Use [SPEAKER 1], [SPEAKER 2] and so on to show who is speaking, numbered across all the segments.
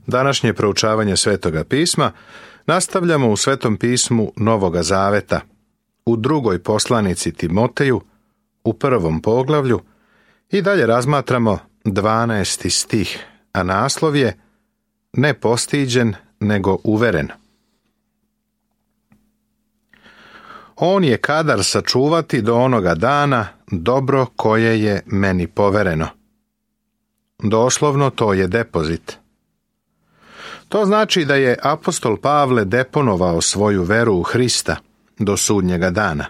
[SPEAKER 1] Današnje proučavanje Svetoga pisma nastavljamo u Svetom pismu Novoga Zaveta, u drugoj poslanici Timoteju, u 1. poglavlju i dalje razmatramo 12. stih, a naslov je Ne postiđen, nego uveren. On je kadar sačuvati do onoga dana dobro koje je meni povereno. Doslovno to je depozit. To znači da je apostol Pavle deponovao svoju veru u Hrista do sudnjega dana.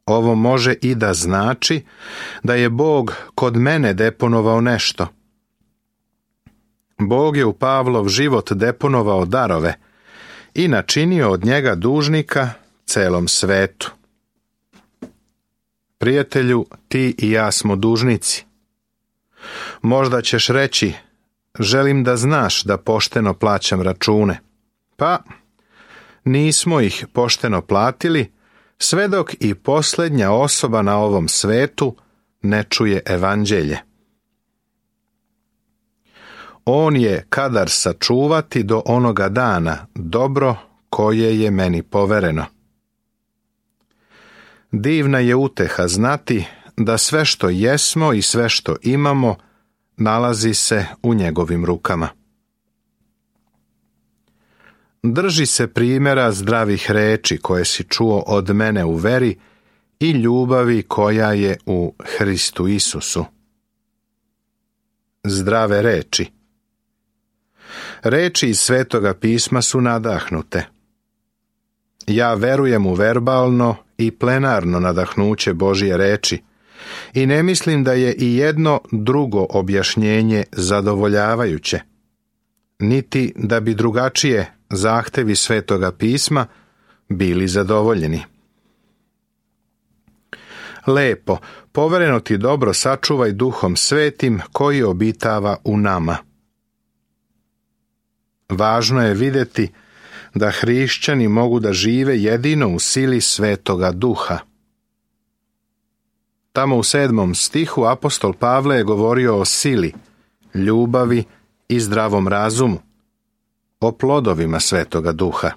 [SPEAKER 1] Ovo može i da znači da je Bog kod mene deponovao nešto. Bog je u Pavlov život deponovao darove i načinio od njega dužnika celom svetu. Prijatelju, ti i ja smo dužnici. Možda ćeš reći, želim da znaš da pošteno plaćam račune. Pa, nismo ih pošteno platili, sve dok i posljednja osoba na ovom svetu ne čuje evanđelje. On je kadar sačuvati do onoga dana dobro koje je meni povereno. Divna je uteha znati da sve što jesmo i sve što imamo nalazi se u njegovim rukama. Drži se primjera zdravih reči koje si čuo od mene u veri i ljubavi koja je u Hristu Isusu. Zdrave reči. Reči iz Svetoga pisma su nadahnute. Ja verujem u verbalno i plenarno nadahnuće Božje reči i ne mislim da je i jedno drugo objašnjenje zadovoljavajuće, niti da bi drugačije zahtevi Svetoga pisma bili zadovoljeni. Lepo, povereno ti dobro sačuvaj Duhom Svetim koji obitava u nama. Važno je vidjeti da hrišćani mogu da žive jedino u sili Svetoga Duha. Tamo u 7. stihu apostol Pavle je govorio o sili, ljubavi i zdravom razumu, o plodovima Svetoga Duha.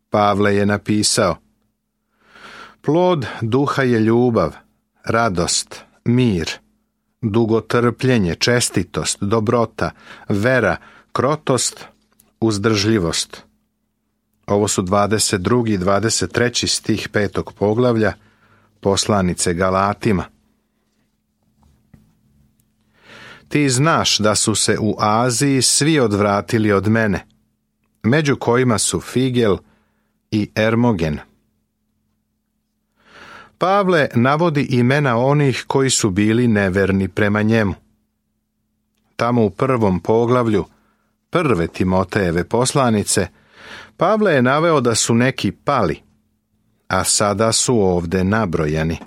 [SPEAKER 1] Pavle je napisao: Plod duha je ljubav, radost, mir, dugotrpljenje, čestitost, dobrota, vera, krotost, uzdržljivost. Ovo su 22. i 23. stih 5. poglavlja poslanice Galatima. Ti znaš da su se u Aziji svi odvratili od mene, među kojima su Figel i Ermogen. Pavle navodi imena onih koji su bili neverni prema njemu. Tamo u 1. poglavlju 1. Timotejeve poslanice Pavle je naveo da su neki pali, a sada su ovde nabrojani.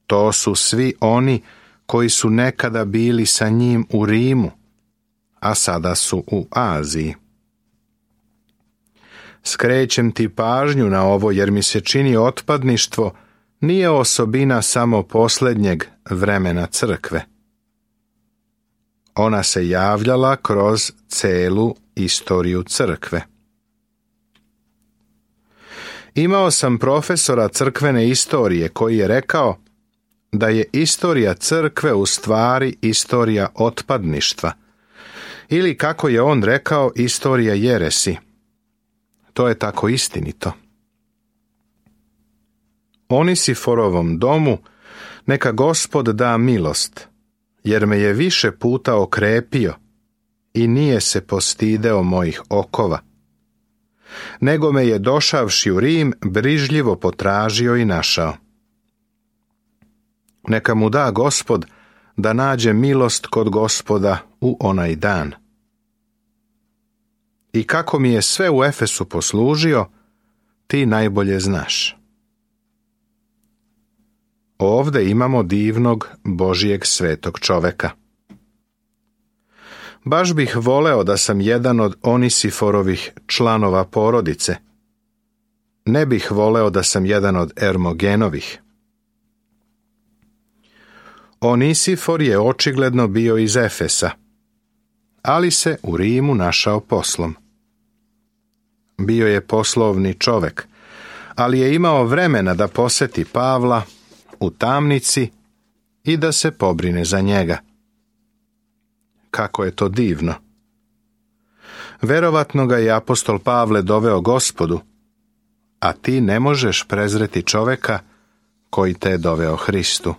[SPEAKER 1] To su svi oni koji su nekada bili sa njim u Rimu, a sada su u Aziji. Skrećem ti pažnju na ovo jer mi se čini otpadništvo nije osobina samo posljednjeg vremena crkve. Ona se javljala kroz celu istoriju crkve. Imao sam profesora crkvene istorije koji je rekao da je istorija crkve u stvari istorija otpadništva, ili kako je on rekao, istorija jeresi. To je tako istinito. Onisiforovom domu neka Gospod da milost, jer me je više puta okrepio i nije se postideo mojih okova, nego me je došavši u Rim brižljivo potražio i našao. Neka mu da Gospod da nađe milost kod Gospoda u onaj dan. I kako mi je sve u Efesu poslužio, ti najbolje znaš. Ovde imamo divnog Božijeg svetog čoveka. Baš bih voleo da sam jedan od Onisiforovih članova porodice. Ne bih voleo da sam jedan od Ermogenovih. Onisifor je očigledno bio iz Efesa, ali se u Rimu našao poslom. Bio je poslovni čovek, ali je imao vremena da poseti Pavla u tamnici i da se pobrine za njega. Kako je to divno! Verovatno ga je apostol Pavle doveo Gospodu, a ti ne možeš prezreti čoveka koji te je doveo Hristu.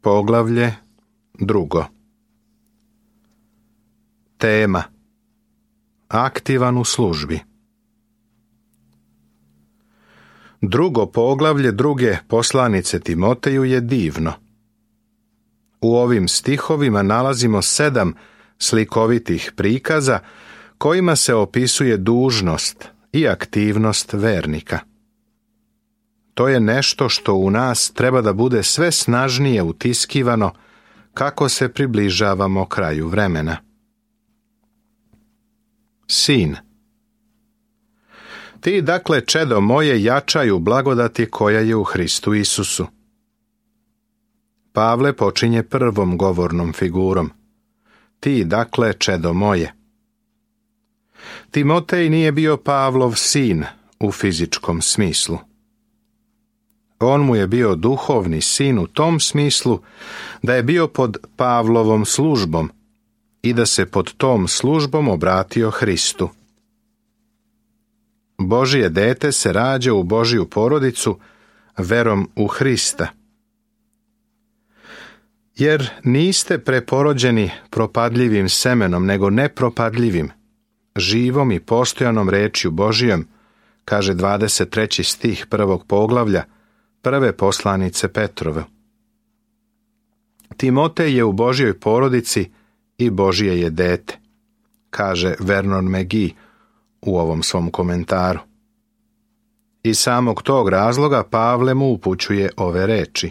[SPEAKER 1] Poglavlje 2. Tema: aktivan u službi. Drugo poglavlje druge poslanice Timoteju je divno. U ovim stihovima nalazimo 7 slikovitih prikaza kojima se opisuje dužnost i aktivnost vernika. To je nešto što u nas treba da bude sve snažnije utiskivano kako se približavamo kraju vremena. Sin. Ti, dakle, čedo moje, jačaj u blagodati koja je u Hristu Isusu. Pavle počinje prvom govornom figurom. Ti, dakle, čedo moje. Timotej nije bio Pavlov sin u fizičkom smislu. On mu je bio duhovni sin u tom smislu da je bio pod Pavlovom službom i da se pod tom službom obratio Hristu. Božje dete se rađa u Božju porodicu verom u Hrista. Jer niste preporođeni propadljivim semenom, nego nepropadljivim, živom i postojanom rečju Božijom, kaže 23. stih 1. poglavlja prve poslanice Petrove. Timotej je u Božjoj porodici i Božje je dete, kaže Vernon McGee u ovom svom komentaru. Iz samog tog razloga Pavle mu upućuje ove reči: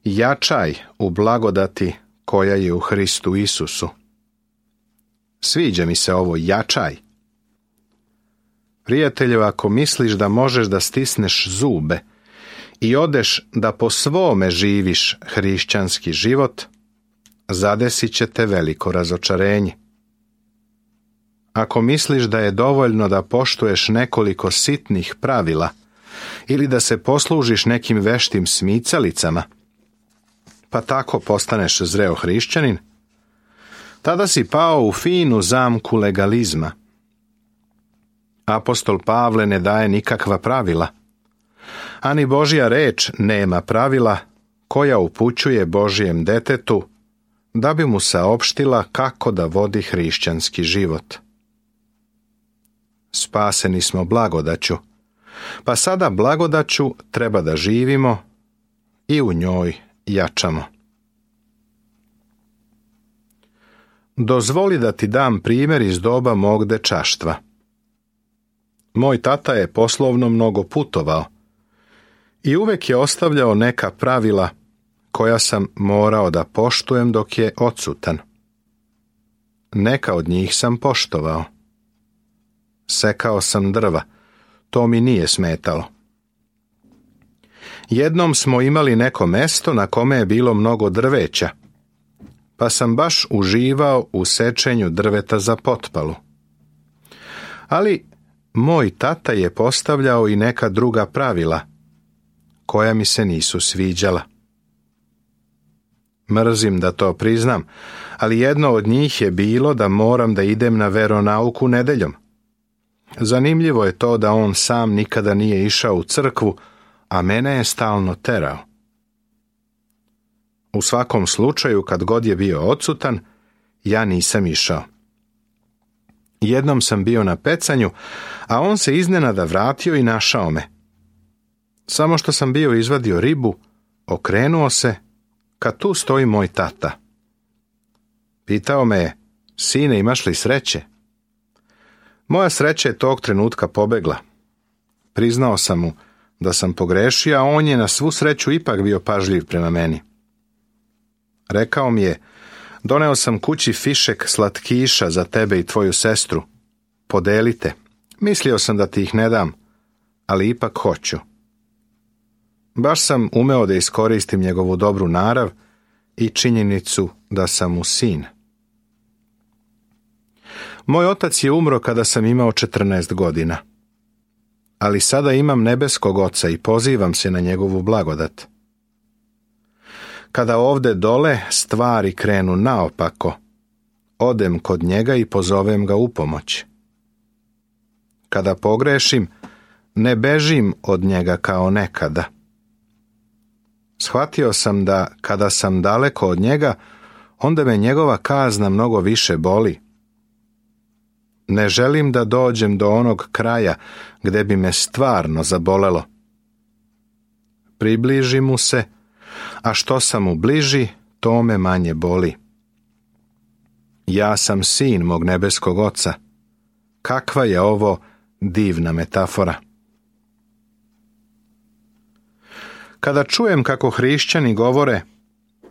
[SPEAKER 1] jačaj u blagodati koja je u Hristu Isusu. Sviđa mi se ovo jačaj. Prijatelju, ako misliš da možeš da stisneš zube i odeš da po svome živiš hrišćanski život, zadesit će te veliko razočarenje. Ako misliš da je dovoljno da poštuješ nekoliko sitnih pravila ili da se poslužiš nekim veštim smicalicama, pa tako postaneš zreo hrišćanin, tada si pao u finu zamku legalizma. Apostol Pavle ne daje nikakva pravila, ani Božja reč nema pravila koja upućuje Božjem detetu da bi mu saopštila kako da vodi hrišćanski život. Spaseni smo blagodaću, pa sada blagodaću treba da živimo i u njoj jačamo. Dozvoli da ti dam primjer iz doba mog dečaštva. Moj tata je poslovno mnogo putovao i uvek je ostavljao neka pravila koja sam morao da poštujem dok je odsutan. Neka od njih sam poštovao. Sekao sam drva, to mi nije smetalo. Jednom smo imali neko mesto na kome je bilo mnogo drveća, pa sam baš uživao u sečenju drveta za potpalu. Ali moj tata je postavljao i neka druga pravila, koja mi se nisu sviđala. Mrzim da to priznam, ali jedno od njih je bilo da moram da idem na veronauku nedeljom. Zanimljivo je to da on sam nikada nije išao u crkvu, a mene je stalno terao. U svakom slučaju, kad god je bio odsutan, ja nisam išao. Jednom sam bio na pecanju, a on se iznenada vratio i našao me. Samo što sam bio izvadio ribu, okrenuo se, kad tu stoji moj tata. Pitao me je: sine, imaš li sreće? Moja sreća je tog trenutka pobegla. Priznao sam mu da sam pogrešio, a on je na svu sreću ipak bio pažljiv prema meni. Rekao mi je: doneo sam kući fišek slatkiša za tebe i tvoju sestru. Podelite. Mislio sam da ti ih ne dam, ali ipak hoću. Baš sam umeo da iskoristim njegovu dobru narav i činjenicu da sam mu sin. Moj otac je umro kada sam imao 14 godina, ali sada imam nebeskog oca i pozivam se na njegovu blagodat. Kada ovde dole stvari krenu naopako, odem kod njega i pozovem ga u pomoć. Kada pogrešim, ne bežim od njega kao nekada. Shvatio sam da kada sam daleko od njega, onda me njegova kazna mnogo više boli. Ne želim da dođem do onog kraja gde bi me stvarno zabolelo. Približi mu se, a što sam mu bliži, to me manje boli. Ja sam sin mog nebeskog oca. Kakva je ovo divna metafora. Kada čujem kako hrišćani govore,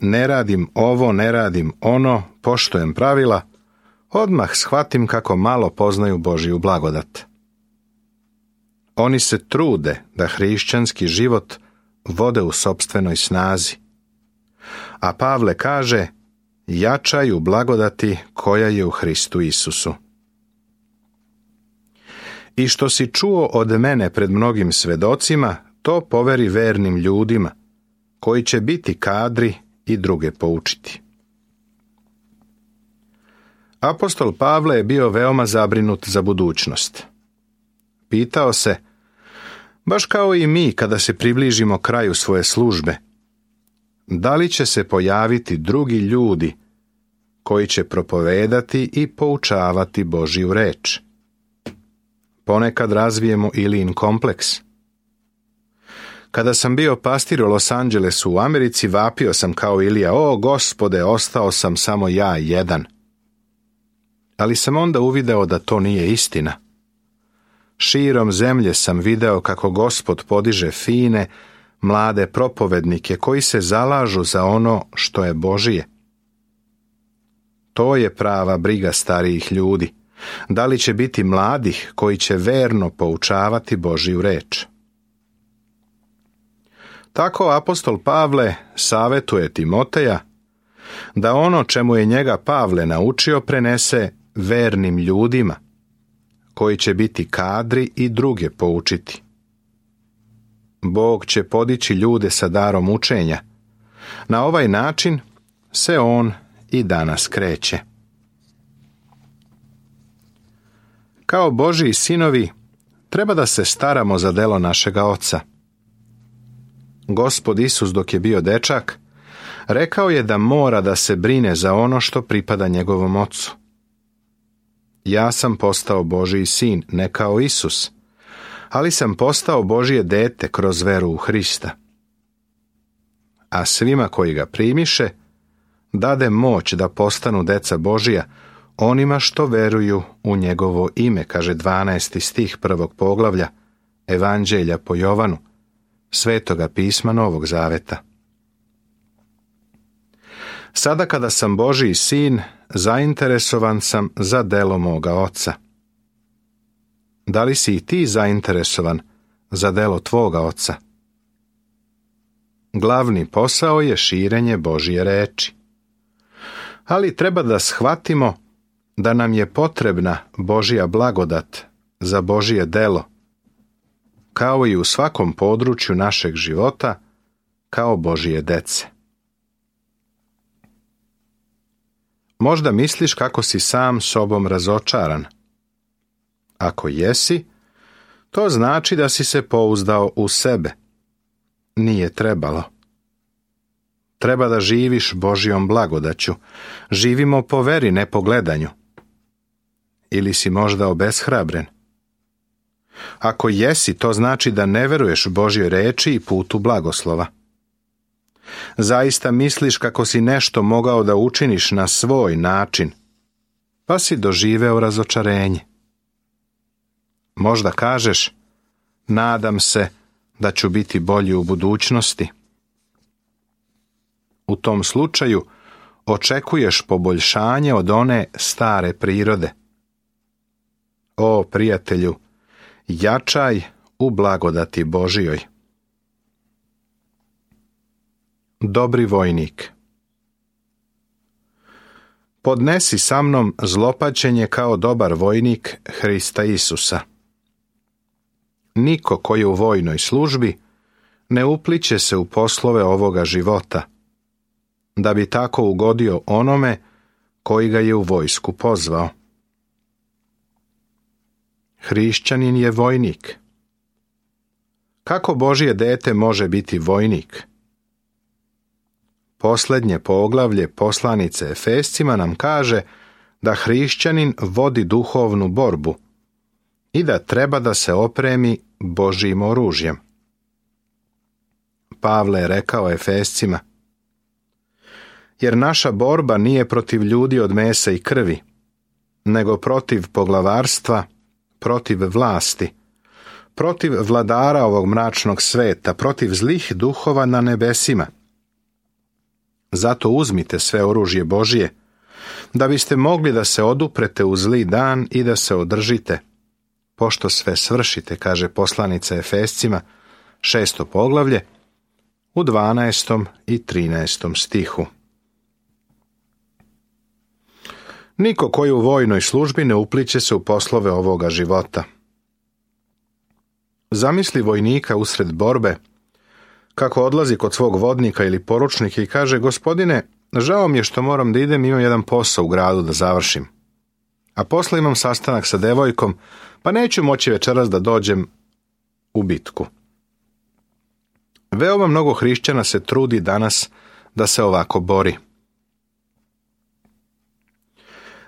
[SPEAKER 1] ne radim ovo, ne radim ono, poštujem pravila, odmah shvatim kako malo poznaju Božju blagodat. Oni se trude da hrišćanski život vode u sopstvenoj snazi. A Pavle kaže, jačaj u blagodati koja je u Hristu Isusu. I što si čuo od mene pred mnogim svedocima, to poveri vernim ljudima, koji će biti kadri i druge poučiti. Apostol Pavle je bio veoma zabrinut za budućnost. Pitao se, baš kao i mi kada se približimo kraju svoje službe, da li će se pojaviti drugi ljudi koji će propovedati i poučavati Božju reč? Ponekad razvijemo Ilijin kompleks. Kada sam bio pastir u Los Angelesu u Americi, vapio sam kao Ilija, o Gospode, ostao sam samo ja jedan. Ali sam onda uvideo da to nije istina. Širom zemlje sam video kako Gospod podiže fine, mlade propovednike koji se zalažu za ono što je Božije. To je prava briga starijih ljudi. Da li će biti mladih koji će verno poučavati Božju reč? Tako apostol Pavle savetuje Timoteja da ono čemu je njega Pavle naučio prenese vernim ljudima, koji će biti kadri i druge poučiti. Bog će podići ljude sa darom učenja. Na ovaj način se on i danas kreće. Kao Božji sinovi treba da se staramo za delo našega Oca. Gospod Isus dok je bio dečak, rekao je da mora da se brine za ono što pripada njegovom Ocu. Ja sam postao Božji sin, ne kao Isus, ali sam postao Božje dete kroz veru u Hrista. A svima koji ga primiše, dade moć da postanu deca Božija, onima što veruju u njegovo ime, kaže 12. stih 1. poglavlja Evanđelja po Jovanu, Svetoga pisma Novog Zaveta. Sada kada sam Božji sin, zainteresovan sam za delo moga Oca. Da li si i ti zainteresovan za delo tvoga Oca? Glavni posao je širenje Božje reči. Ali treba da shvatimo da nam je potrebna Božja blagodat za Božje delo, kao i u svakom području našeg života, kao Božje dece. Možda misliš kako si sam sobom razočaran. Ako jesi, to znači da si se pouzdao u sebe. Nije trebalo. Treba da živiš Božjom blagodaću. Živimo po veri, ne po gledanju. Ili si možda obeshrabren? Ako jesi, to znači da ne veruješ Božjoj reči i putu blagoslova. Zaista misliš kako si nešto mogao da učiniš na svoj način, pa si doživeo razočarenje. Možda kažeš, nadam se da ću biti bolji u budućnosti. U tom slučaju očekuješ poboljšanje od one stare prirode. O, prijatelju, jačaj u blagodati Božjoj. dobri vojnik. Podnesi sa mnom zlopaćenje kao dobar vojnik Hrista Isusa. Niko koji je u vojnoj službi ne upliće se u poslove ovoga života, da bi tako ugodio onome koji ga je u vojsku pozvao. Hrišćanin je vojnik. Kako Božje dete može biti vojnik? Posljednje poglavlje poslanice Efescima nam kaže da hrišćanin vodi duhovnu borbu i da treba da se opremi Božjim oružjem. Pavle je rekao Efescima: jer naša borba nije protiv ljudi od mesa i krvi, nego protiv poglavarstva, protiv vlasti, protiv vladara ovog mračnog sveta, protiv zlih duhova na nebesima. Zato uzmite sve oružje Božje, da biste mogli da se oduprete u zli dan i da se održite, pošto sve svršite, kaže poslanica Efescima, 6. poglavlje, u 12. i 13. stihu. Niko koji u vojnoj službi ne upliće se u poslove ovoga života. Zamisli vojnika usred borbe, kako odlazi kod svog vodnika ili poručnika i kaže: gospodine, žao mi je što moram da idem, imam jedan posao u gradu da završim. A posle imam sastanak sa devojkom, pa neću moći večeras da dođem u bitku. Veoma mnogo hrišćana se trudi danas da se ovako bori.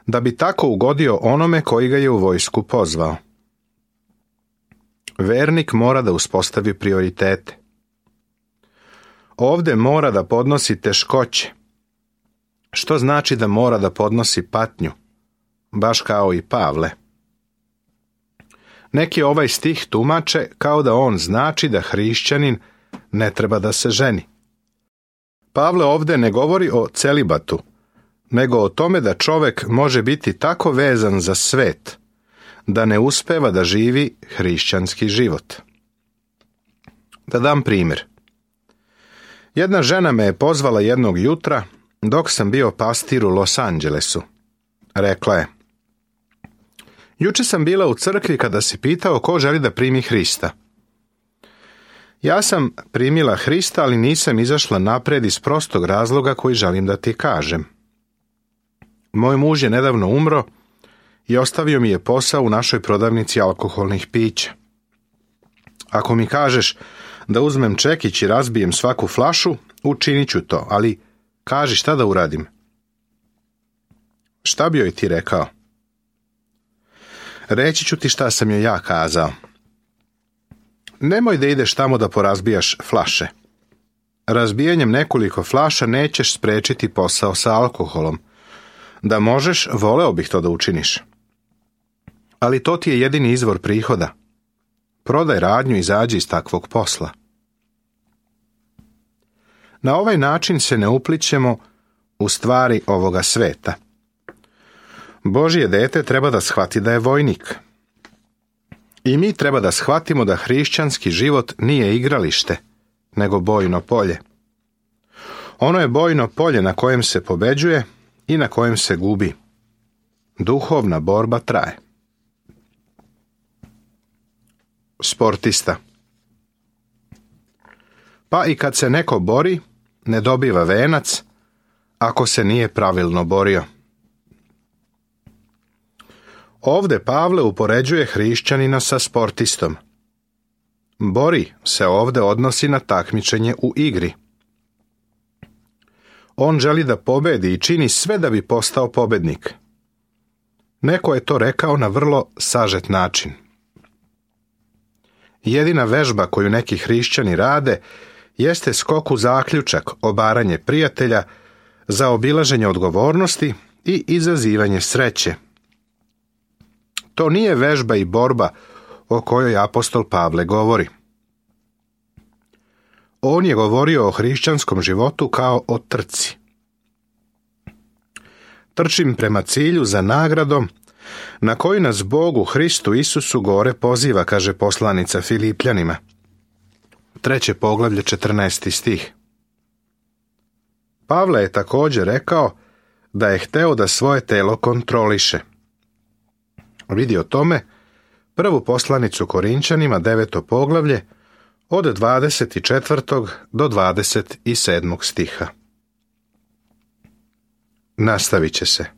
[SPEAKER 1] Da bi tako ugodio onome koji ga je u vojsku pozvao. Vernik mora da uspostavi prioritete. Ovde mora da podnosi teškoće, što znači da mora da podnosi patnju, baš kao i Pavle. Neki ovaj stih tumače kao da on znači da hrišćanin ne treba da se ženi. Pavle ovde ne govori o celibatu, nego o tome da čovek može biti tako vezan za svet, da ne uspeva da živi hrišćanski život. Da dam primjer. Jedna žena me je pozvala jednog jutra dok sam bio pastir u Los Angelesu. Rekla je: juče sam bila u crkvi kada si pitao ko želi da primi Hrista. Ja sam primila Hrista, ali nisam izašla napred iz prostog razloga koji želim da ti kažem. Moj muž je nedavno umro i ostavio mi je posao u našoj prodavnici alkoholnih pića. Ako mi kažeš da uzmem čekić i razbijem svaku flašu, učinit ću to, ali kaži šta da uradim. Šta bi joj ti rekao? Reći ću ti šta sam joj ja kazao. Nemoj da ideš tamo da porazbijaš flaše. Razbijanjem nekoliko flaša nećeš sprečiti posao sa alkoholom. Da možeš, voleo bih to da učiniš. Ali to ti je jedini izvor prihoda. Prodaj radnju i izađi iz takvog posla. Na ovaj način se ne uplićemo u stvari ovoga sveta. Božje dete treba da shvati da je vojnik. I mi treba da shvatimo da hrišćanski život nije igralište, nego bojno polje. Ono je bojno polje na kojem se pobeđuje i na kojem se gubi. Duhovna borba traje. Sportista. Pa i kad se neko bori, ne dobiva venac ako se nije pravilno borio. Ovde Pavle upoređuje hrišćanina sa sportistom. Bori se ovde odnosi na takmičenje u igri. On želi da pobedi i čini sve da bi postao pobednik. Neko je to rekao na vrlo sažet način. Jedina vežba koju neki hrišćani rade jeste skok u zaključak, obaranje prijatelja, zaobilaženje odgovornosti i izazivanje sreće. To nije vežba i borba o kojoj apostol Pavle govori. On je govorio o hrišćanskom životu kao o trci. Trčim prema cilju za nagradom na koju nas Bog u Hristu Isusu gore poziva, kaže poslanica Filipljanima. 3. poglavlje, 14. stih. Pavle je također rekao da je hteo da svoje telo kontroliše. Vidi o tome prvu poslanicu Korinčanima, 9. poglavlje, od 24. do 27. stiha. Nastavit će se.